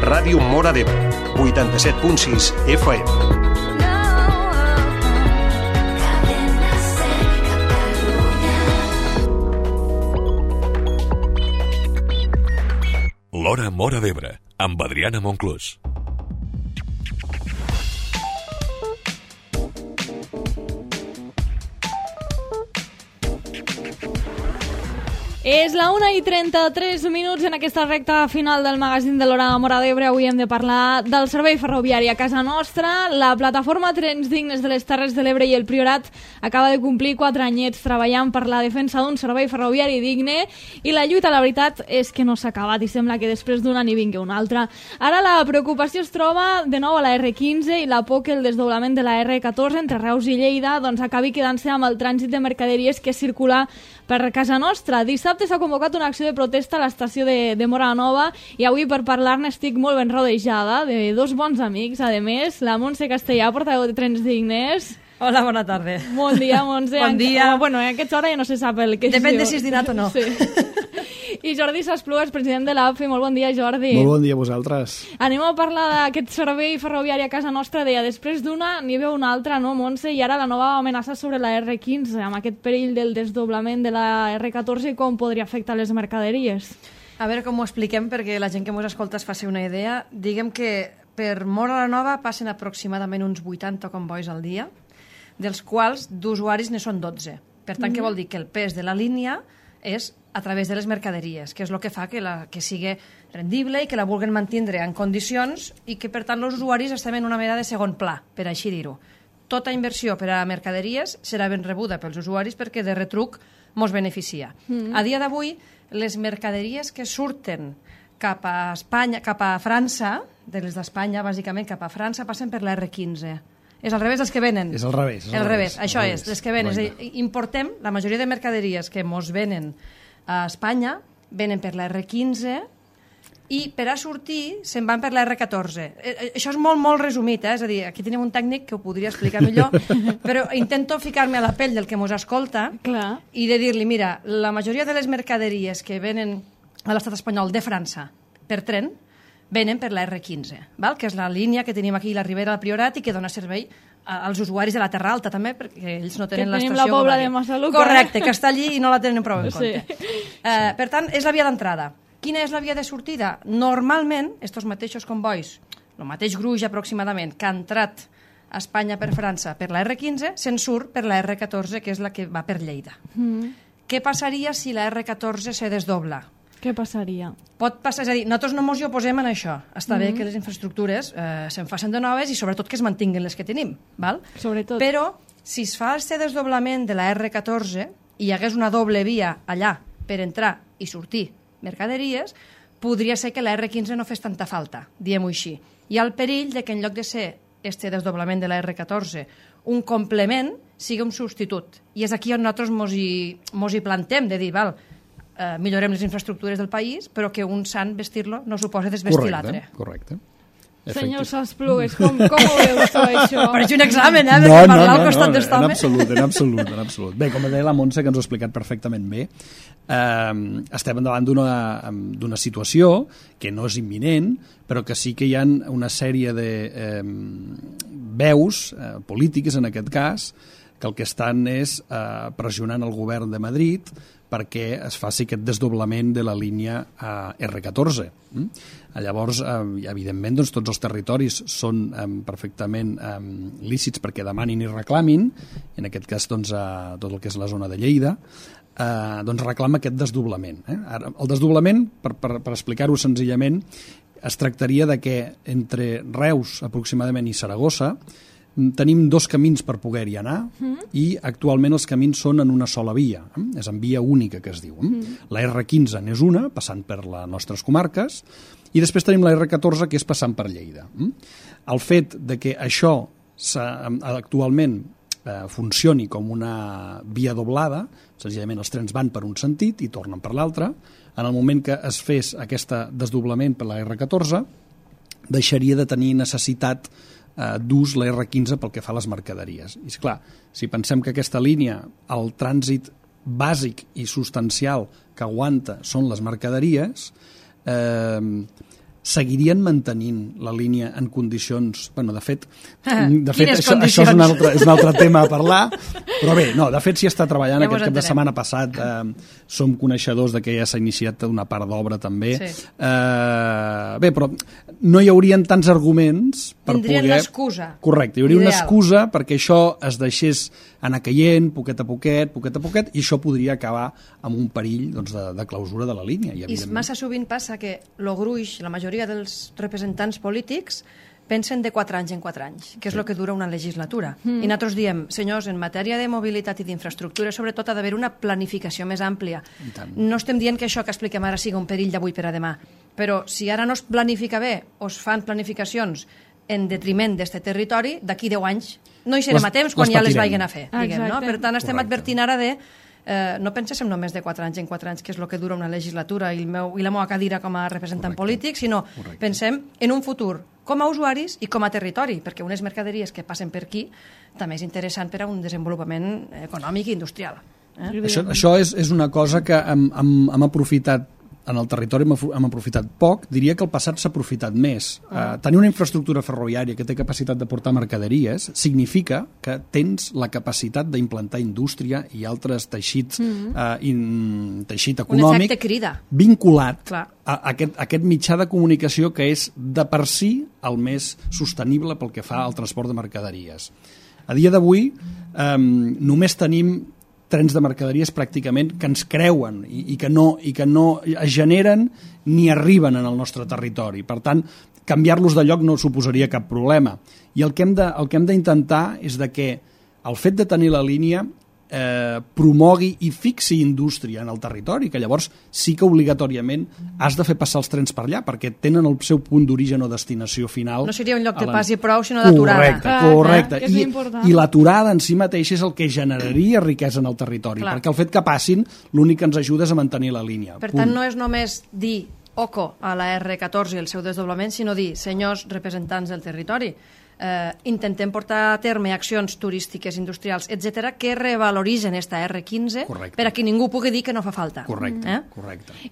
Ràdio Móra d'Ebre, 87.6 FM. L'Hora Móra d'Ebre, amb Adriana Monclús. És la 1:33 en aquesta recta final del magazín de l'Hora Móra d'Ebre. Avui hem de parlar del servei ferroviari a casa nostra. La plataforma Trens Dignes de les Terres de l'Ebre i el Priorat acaba de complir 4 anyets treballant per la defensa d'un servei ferroviari digne i la lluita, la veritat, és que no s'ha acabat i sembla que després d'un any hi vingui un altre. Ara la preocupació es troba de nou a la R15 i la por que el desdoblament de la R14 entre Reus i Lleida acabi quedant-se amb el trànsit de mercaderies que circula per casa nostra. Dissabte s'ha convocat una acció de protesta a l'estació de Móra Nova i avui per parlar-ne estic molt ben rodejada de dos bons amics, a més, la Montse Castellà, portaveu de Trens Dignes. Hola, bona tarda. Bon dia, Montse. Bon dia. Bueno, a aquesta hora ja no se sap el que Depèn de si és dinat o no. Sí. I Jordi Sasplugues, president de l'AFI. Molt bon dia, Jordi. Molt bon dia a vosaltres. Anem a parlar d'aquest servei ferroviari a casa nostra. Deia, després d'una n'hi veu una altra, no, Montse? I ara la nova amenaça sobre la R15, amb aquest perill del desdoblament de la R14 i com podria afectar les mercaderies. A veure com ho expliquem perquè la gent que ens escolta es faci una idea. Diguem que per Móra la Nova passen aproximadament uns 80 convois al dia, dels quals d'usuaris ne són 12. Per tant, què vol dir? Que el pes de la línia és a través de les mercaderies, que és el que fa que sigui rendible i que la vulguin mantenir en condicions i que, per tant, els usuaris estem en una mena de segon pla, per així dir-ho. Tota inversió per a mercaderies serà ben rebuda pels usuaris perquè de retruc mos beneficia. A dia d'avui, les mercaderies que surten cap a Espanya, cap a França, de les d'Espanya, bàsicament cap a França, passen per la R15. És al revés dels que venen. És al revés. Al revés, això és, les que venen. És a dir, importem, la majoria de mercaderies que mos venen a Espanya, venen per la R15 i per a sortir se'n van per la R14. Això és molt, molt resumit, és a dir, aquí tenim un tècnic que ho podria explicar millor, però intento ficar-me a la pell del que mos escolta. Clar. I de dir-li, mira, la majoria de les mercaderies que venen a l'estat espanyol de França per tren venen per la R15, val? Que és la línia que tenim aquí a la Ribera del Priorat i que dona servei als usuaris de la Terra Alta també, perquè ells no tenen l'estació. Que tenim la Pobla de Massaluca. Correcte, que està allí i no la tenen prou en compte. Sí. Per tant, és la via d'entrada. Quina és la via de sortida? Normalment, estos mateixos convois, el mateix gruix aproximadament, que ha entrat a Espanya per França per la R15, se'n surt per la R14, que és la que va per Lleida. Què passaria si la R14 se desdobla? Què passaria? Pot passar, és a dir, nosaltres no ens hi oposem en això. Està bé que les infraestructures se'n facin de noves i sobretot que es mantinguin les que tenim, val? Sobretot. Però si es fa aquest desdoblament de la R14 i hi hagués una doble via allà per entrar i sortir mercaderies, podria ser que la R15 no fes tanta falta, diguem-ho així. Hi ha el perill de que en lloc de ser este desdoblament de la R14 un complement, sigui un substitut. I és aquí on nosaltres mos hi plantem, de dir, val, millorem les infraestructures del país, però que un sant vestir-lo no suposa desvestir l'altre. Correcte. Senyor Sasplugues, com ho veus tu, això? Pareix un examen, No, parlar al costat d'estome. En absolut. Bé, com deia la Montse, que ens ho ha explicat perfectament bé, estem davant d'una situació que no és imminent, però que sí que hi ha una sèrie de veus polítiques, en aquest cas, que el que estan és pressionant el govern de Madrid perquè es faci aquest desdoblament de la línia R14. Llavors, evidentment, doncs, tots els territoris són perfectament lícits perquè demanin i reclamin, en aquest cas doncs, tot el que és la zona de Lleida, doncs reclama aquest desdoblament. Ara, el desdoblament, per explicar-ho senzillament, es tractaria de que entre Reus aproximadament i Saragossa tenim dos camins per poder-hi anar i actualment els camins són en una sola via, és en via única que es diu. La R15 n'és una, passant per les nostres comarques, i després tenim la R14 que és passant per Lleida. El fet de que això actualment funcioni com una via doblada, senzillament els trens van per un sentit i tornen per l'altre, en el moment que es fes aquest desdoblament per la R14 deixaria de tenir necessitat d'ús la R15 pel que fa a les mercaderies. I esclar, si pensem que aquesta línia, el trànsit bàsic i substancial que aguanta són les mercaderies, seguirien mantenint la línia en condicions... Bueno, de fet Quines això és un altre tema a parlar, però bé, no, de fet s'hi està treballant. Ja aquest cap de setmana passat som coneixedors de que ja s'ha iniciat una part d'obra també. Sí. Bé, però no hi haurien tants arguments per Tindrien poder... l'excusa. Correcte, hi hauria una Ideal. excusa perquè això es deixés anar caient poquet a poquet, i això podria acabar amb un perill doncs, de clausura de la línia. I massa sovint passa que lo gruix, la majoria dels representants polítics pensen de 4 anys en 4 anys, que és el que dura una legislatura. I nosaltres diem, senyors, en matèria de mobilitat i d'infraestructura, sobretot ha d'haver una planificació més àmplia. No estem dient que això que expliquem ara sigui un perill d'avui per a demà, però si ara no es planifica bé o es fan planificacions en detriment d'aquest territori, d'aquí 10 anys no hi serem a temps quan ja les vagin a fer. Diguem, no? Per tant, estem advertint ara de no penséssim només de 4 anys en 4 anys, que és el que dura una legislatura i la meva cadira com a representant polític, sinó pensem en un futur com a usuaris i com a territori, perquè unes mercaderies que passen per aquí també és interessant per a un desenvolupament econòmic i industrial. Això és una cosa que hem aprofitat en el territori, hem aprofitat poc. Diria que el passat s'ha aprofitat més. Tenir una infraestructura ferroviària que té capacitat de portar mercaderies significa que tens la capacitat d'implantar indústria i altres teixits, teixit econòmic, un efecte crida vinculat a aquest mitjà de comunicació que és de per si el més sostenible pel que fa al transport de mercaderies. A dia d'avui només tenim trens de mercaderies pràcticament que ens creuen i que no es generen ni arriben en el nostre territori. Per tant, canviar-los de lloc no suposaria cap problema. I el que hem d'intentar és de que el fet de tenir la línia promogui i fixi indústria en el territori, que llavors sí que obligatòriament has de fer passar els trens per allà, perquè tenen el seu punt d'origen o destinació final. No seria un lloc de pas i prou, sinó d'aturada. Correcte. I l'aturada en si mateix és el que generaria riquesa en el territori, perquè el fet que passin l'únic que ens ajuda és a mantenir la línia. Per tant, no és només dir oco a la R14 i el seu desdoblament, sinó dir, senyors representants del territori, intentem portar a terme accions turístiques, industrials, etc que revaloritzen esta R15 per a que ningú pugui dir que no fa falta. Correcte.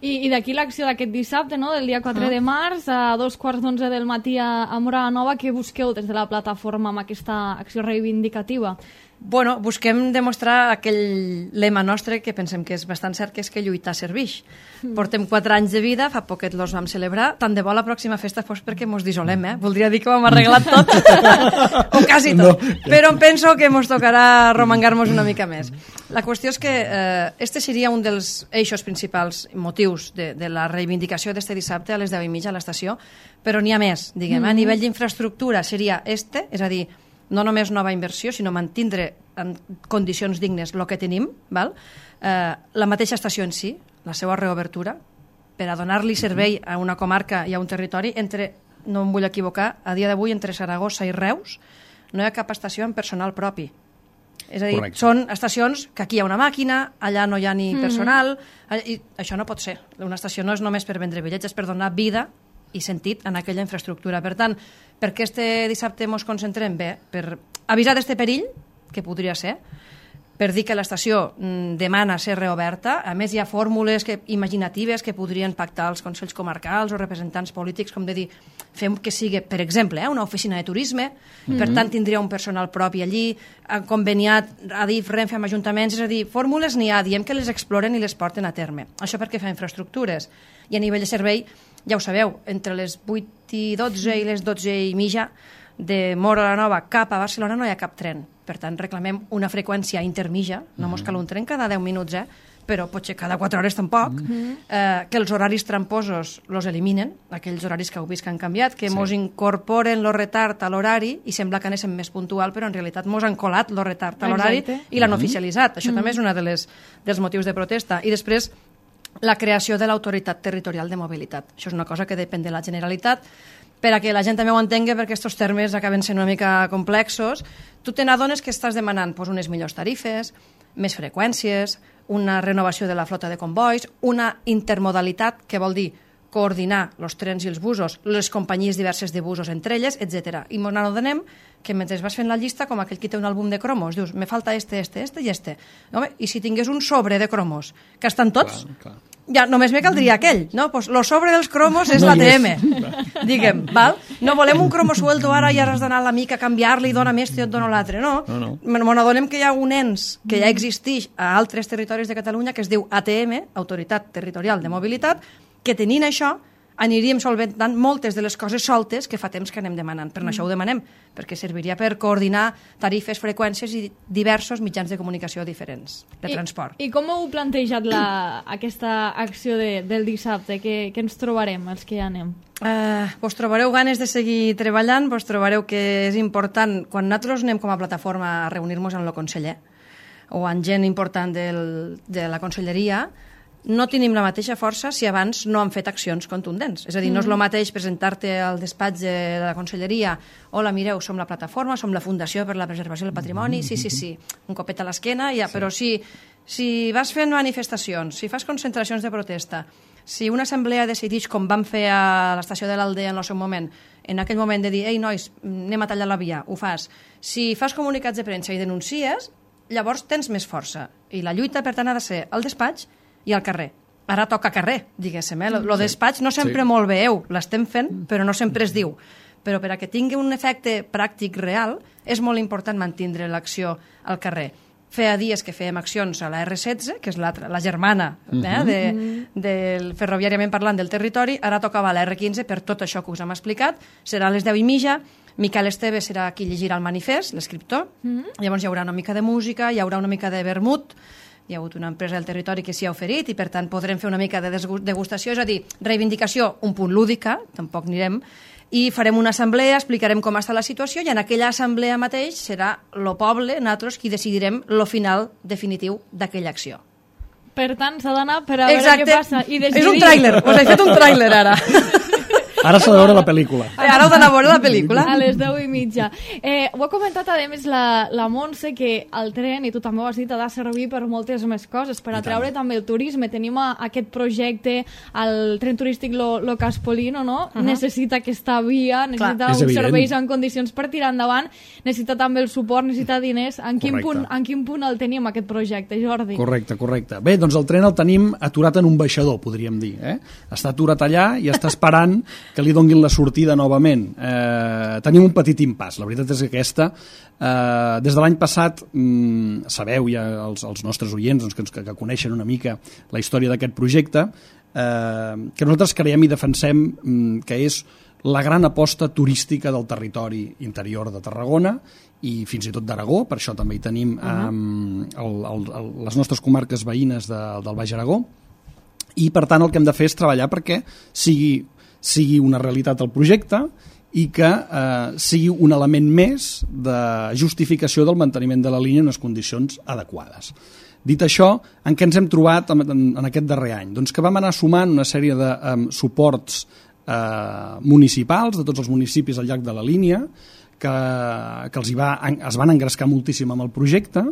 I d'aquí l'acció d'aquest dissabte, no? Del dia 4 de març, a 2:15 del matí a Móra la Nova, què busqueu des de la plataforma amb aquesta acció reivindicativa? Bueno, busquem demostrar aquell lema nostre que pensem que és bastant cert, que és que lluitar serveix. Portem 4 anys de vida, fa poquet los vam celebrar, tant de bo la pròxima festa fos perquè mos dissolem, Voldria dir que ho hem arreglat tot, o quasi tot, però em penso que mos tocarà romangar-nos una mica més. La qüestió és que este seria un dels eixos principals motius de la reivindicació d'este dissabte a les 10:30 a l'estació, però n'hi ha més, diguem, a nivell d'infraestructura seria és a dir, no només nova inversió, sinó mantindre en condicions dignes el que tenim, la mateixa estació en si, la seva reobertura, per a donar-li servei a una comarca i a un territori no em vull equivocar, a dia d'avui entre Saragossa i Reus no hi ha cap estació amb personal propi. És a dir, són estacions que aquí hi ha una màquina, allà no hi ha ni personal, i això no pot ser. Una estació no és només per vendre bitllets, és per donar vida i sentit en aquella infraestructura. Per tant, per què este dissabte ens concentrem? Bé, per avisar d'este perill, que podria ser, per dir que l'estació demana ser reoberta. A més, hi ha fórmules imaginatives que podrien pactar els consells comarcals o representants polítics, com de dir, fem que sigui, per exemple, una oficina de turisme, per tant tindria un personal propi allí, conveniat Adif, Renfe amb ajuntaments, és a dir, fórmules n'hi ha, diem que les exploren i les porten a terme. Això perquè fa infraestructures. I a nivell de servei, ja ho sabeu, entre les 8:12 i les 12:30 de Móra la Nova cap a Barcelona no hi ha cap tren. Per tant, reclamem una freqüència intermitja, no mos cal un tren cada 10 minuts, però potser cada 4 hores tampoc, que els horaris tramposos los eliminen, aquells horaris que heu vist que han canviat, que mos incorporen el retard a l'horari i sembla que anéssim més puntual, però en realitat mos han colat el retard a l'horari i l'han oficialitzat. Això també és un dels motius de protesta. I després, la creació de l'autoritat territorial de mobilitat. Això és una cosa que depèn de la Generalitat. Per a que la gent també ho entengui, perquè aquests termes acaben sent una mica complexos, tu te n'adones que estàs demanant unes millors tarifes, més freqüències, una renovació de la flota de convois, una intermodalitat, que vol dir coordinar els trens i els busos, les companyies diverses de busos entre elles, etc. I ens n'adonem que mentre vas fent la llista, com aquell que té un àlbum de cromos, dius, me falta este i este. Home, i si tingués un sobre de cromos, que estan tots, ja només me caldria aquell, no? Pues lo sobre dels cromos és l'ATM, diguem, val? No volem un cromo suelto ara i ara has d'anar a l'amic a canviar-li i dona més i et dona l'altre, no. N'adonem que hi ha un ens que ja existeix a altres territoris de Catalunya que es diu ATM, Autoritat Territorial de Mobilitat, que tenint això aniríem solventant moltes de les coses soltes que fa temps que anem demanant. Per això ho demanem, perquè serviria per coordinar tarifes, freqüències i diversos mitjans de comunicació diferents de transport. I com heu plantejat aquesta acció del dissabte? Què ens trobarem, els que hi anem? Vos trobareu ganes de seguir treballant, vos trobareu que és important, quan nosaltres anem com a plataforma a reunir-nos amb el conseller o amb gent important de la conselleria, no tenim la mateixa força si abans no han fet accions contundents. És a dir, no és el mateix presentar-te al despatx de la conselleria, hola, mireu, som la plataforma, som la Fundació per la Preservació del Patrimoni, sí, un copet a l'esquena, ja, però si vas fent manifestacions, si fas concentracions de protesta, si una assemblea decideix, com vam fer a l'estació de l'Aldea en el seu moment, en aquell moment de dir, ei, nois, anem a tallar la via, ho fas. Si fas comunicats de premsa i denuncies, llavors tens més força. I la lluita, per tant, ha de ser al despatx i al carrer. Ara toca carrer, diguéssim. Lo despatx no sempre molt veieu, l'estem fent, però no sempre es diu. Però per a que tingui un efecte pràctic real, és molt important mantindre l'acció al carrer. Feia dies que fèiem accions a la R16, que és la germana del ferroviàriament parlant del territori, ara tocava la R15 per tot això que us hem explicat, serà a les 10:30, Miquel Esteve serà qui llegirà el manifest, l'escriptor, llavors hi haurà una mica de música, hi haurà una mica de vermut, hi ha hagut una empresa del territori que s'hi ha oferit i per tant podrem fer una mica de degustació, és a dir, reivindicació un punt lúdica, tampoc anirem, i farem una assemblea, explicarem com està la situació i en aquella assemblea mateix serà el poble, nosaltres, qui decidirem el final definitiu d'aquella acció. Per tant, s'ha d'anar per a veure què passa i decidir. És un tràiler, us he fet un tràiler ara. Ara s'ha de veure la pel·lícula. Ara heu d'anar a veure la pel·lícula. A les 10:30. Ho ha comentat, a més, la Montse, que el tren, i tu també ho has dit, ha de servir per moltes més coses, per atraure també el turisme. Tenim aquest projecte, el tren turístic Lo Caspolino, no? Necessita aquesta via, necessita uns serveis en condicions per tirar endavant, necessita també el suport, necessita diners. En quin punt el tenim, aquest projecte, Jordi? Correcte. Bé, doncs el tren el tenim aturat en un baixador, podríem dir. Està aturat allà i està esperant que li donguin la sortida novament. Tenim un petit impàs. La veritat és que aquesta, des de l'any passat, sabeu ja els nostres oients que coneixen una mica la història d'aquest projecte, que nosaltres creiem i defensem que és la gran aposta turística del territori interior de Tarragona i fins i tot d'Aragó, per això també hi tenim les nostres comarques veïnes del Baix Aragó, i per tant el que hem de fer és treballar perquè sigui una realitat el projecte i que sigui un element més de justificació del manteniment de la línia en unes condicions adequades. Dit això, en què ens hem trobat en aquest darrer any? Doncs que vam anar sumant una sèrie de suports municipals de tots els municipis al llarg de la línia que es van engrescar moltíssim amb el projecte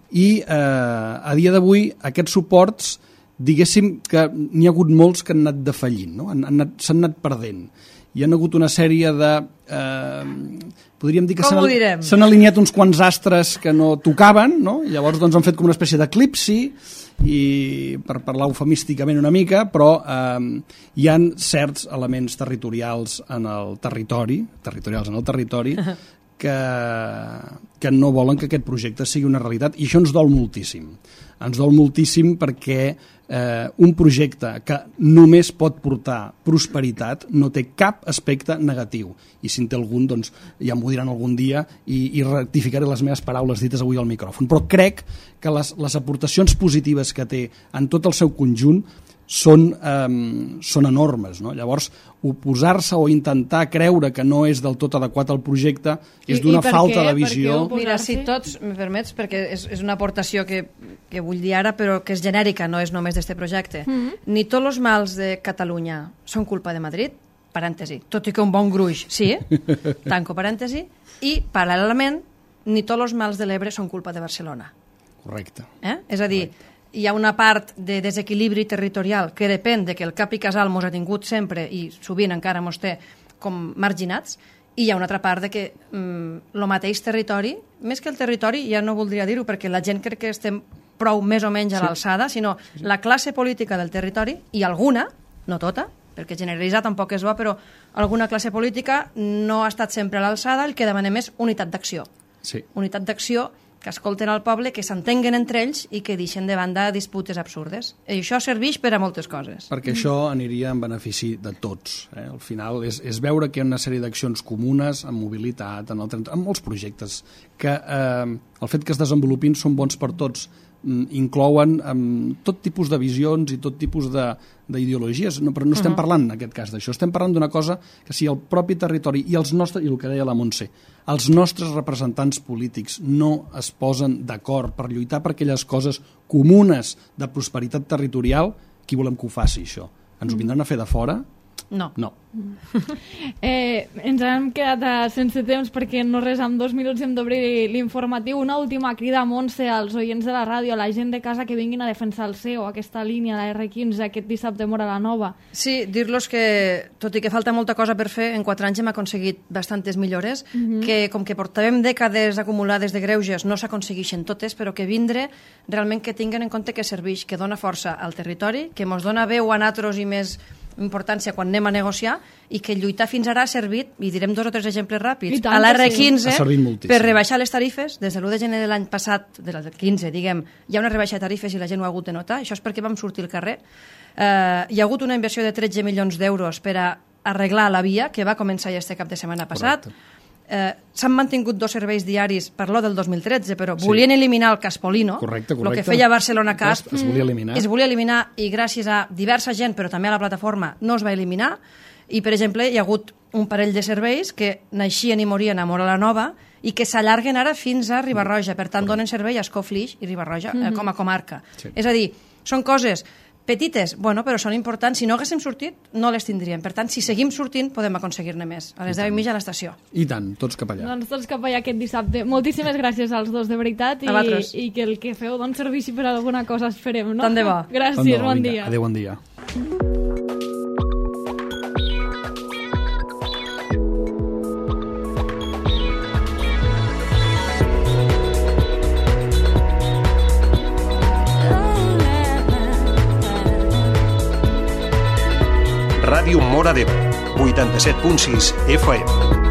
i a dia d'avui aquests suports, diguéssim que n'hi ha hagut molts que han anat defallint, no? S'han anat perdent. Hi ha hagut una sèrie de... podríem dir que s'han alineat uns quants astres que no tocaven, no? I llavors doncs, han fet com una espècie d'eclipsi, i per parlar eufemísticament una mica, però hi ha certs elements territorials en el territori, que no volen que aquest projecte sigui una realitat, i això ens dol moltíssim. Ens dol moltíssim perquè un projecte que només pot portar prosperitat no té cap aspecte negatiu, i si en té algun, doncs ja m'ho diran algun dia i rectificaré les meves paraules dites avui al micròfon, però crec que les aportacions positives que té en tot el seu conjunt són enormes, no? Llavors, oposar-se o intentar creure que no és del tot adequat al projecte és d'una falta de visió. Mira, si tots, me permets, perquè és una aportació que vull dir ara, però que és genèrica, no és només d'este projecte. Ni tots els mals de Catalunya són culpa de Madrid, parèntesi, tot i que un bon gruix, sí, tanco parèntesi, i paral·lelament, ni tots els mals de l'Ebre són culpa de Barcelona. Correcte. És a dir, hi ha una part de desequilibri territorial que depèn de que el cap i casal mos ha tingut sempre i sovint encara mos té com marginats, i hi ha una altra part de que el mateix territori, més que el territori, ja no voldria dir-ho perquè la gent crec que estem prou més o menys a l'alçada, sinó la classe política del territori, i alguna, no tota, perquè generalitzar tampoc és bo, però alguna classe política no ha estat sempre a l'alçada, el que demanem és unitat d'acció. Sí. Unitat d'acció, que escolten al poble, que s'entenguen entre ells i que deixen de banda disputes absurdes. I això serveix per a moltes coses. Perquè això aniria en benefici de tots. Al final és veure que hi ha una sèrie d'accions comunes en mobilitat, en molts projectes, que el fet que es desenvolupin són bons per tots, inclouen tot tipus de visions i tot tipus d'ideologies, però no estem parlant en aquest cas d'això, estem parlant d'una cosa que si el propi territori i els nostres, i el que deia la Montse, els nostres representants polítics no es posen d'acord per lluitar per aquelles coses comunes de prosperitat territorial, qui volem que ho faci això? Ens ho vindran a fer de fora? No. Ens hem quedat sense temps perquè no res, en 2 minuts hem d'obrir l'informatiu. Una última crida, Montse, als oients de la ràdio, a la gent de casa que vinguin a defensar el CEO, aquesta línia, la R15, aquest dissabte a Móra la Nova. Sí, dir-los que, tot i que falta molta cosa per fer, en 4 anys hem aconseguit bastantes millores, que com que portàvem dècades acumulades de greuges, no s'aconsegueixen totes, però que vindre realment que tinguen en compte que serveix, que dona força al territori, que mos dona veu a nosaltres i més importància quan anem a negociar, i que lluitar fins ara ha servit, i direm 2 o 3 exemples ràpids, a l'R15 per rebaixar les tarifes. Des de l'1 de gener de l'any passat, de l'15, diguem, hi ha una rebaixa de tarifes i la gent ho ha hagut de notar. Això és perquè vam sortir al carrer. Hi ha hagut una inversió de 13 milions d'euros per a arreglar la via, que va començar ja este cap de setmana passat. S'han mantingut 2 serveis diaris per lo del 2013, però volien eliminar el Caspolino. Correcte. El que feia Barcelona Casp es volia eliminar i gràcies a diversa gent, però també a la plataforma, no es va eliminar. I, per exemple, hi ha hagut un parell de serveis que naixien i morien a Móra la Nova i que s'allarguen ara fins a Riba-roja. Per tant, donen servei a Escó-Flix i Riba-roja com a comarca. Sí. És a dir, són coses petites, però són importants. Si no haguéssim sortit, no les tindríem. Per tant, si seguim sortint, podem aconseguir-ne més. A les 10:30 a l'estació. I tant, tots cap allà. Doncs tots cap allà aquest dissabte. Moltíssimes gràcies als dos, de veritat, i que el que feu doncs serveixi per alguna cosa, esperem, no? Tant de bo. Gràcies, bon dia. Adéu, bon dia. Ràdio Móra d'Ebre, 87.6 FM.